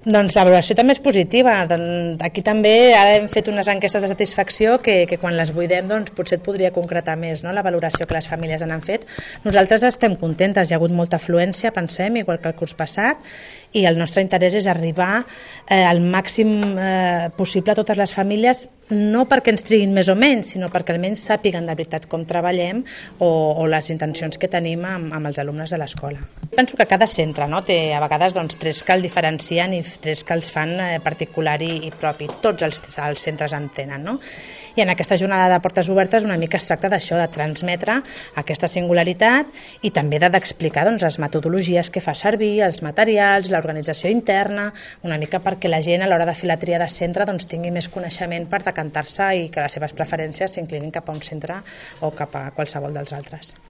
Doncs la valoració també és positiva. Aquí també ara hem fet unes enquestes de satisfacció que quan les buidem doncs, potser et podria concretar més, no? La valoració que les famílies han fet. Nosaltres estem contentes, hi ha hagut molta afluència, pensem, igual que el curs passat, i el nostre interès és arribar al màxim possible a totes les famílies, no perquè ens triguin més o menys, sinó perquè almenys sàpiguen de veritat com treballem o les intencions que tenim amb els alumnes de l'escola. Penso que cada centre té a vegades trets que el diferencien i trets que els fan particular i propi. Tots els centres en tenen, no? I en aquesta jornada de portes obertes una mica es tracta d'això, de transmetre aquesta singularitat i també d'explicar les metodologies que fa servir, els materials, l'organització interna, una mica perquè la gent a l'hora de fer la tria de centre tingui més coneixement per decantar-se i que les seves preferències s'inclinin cap a un centre o cap a qualsevol dels altres.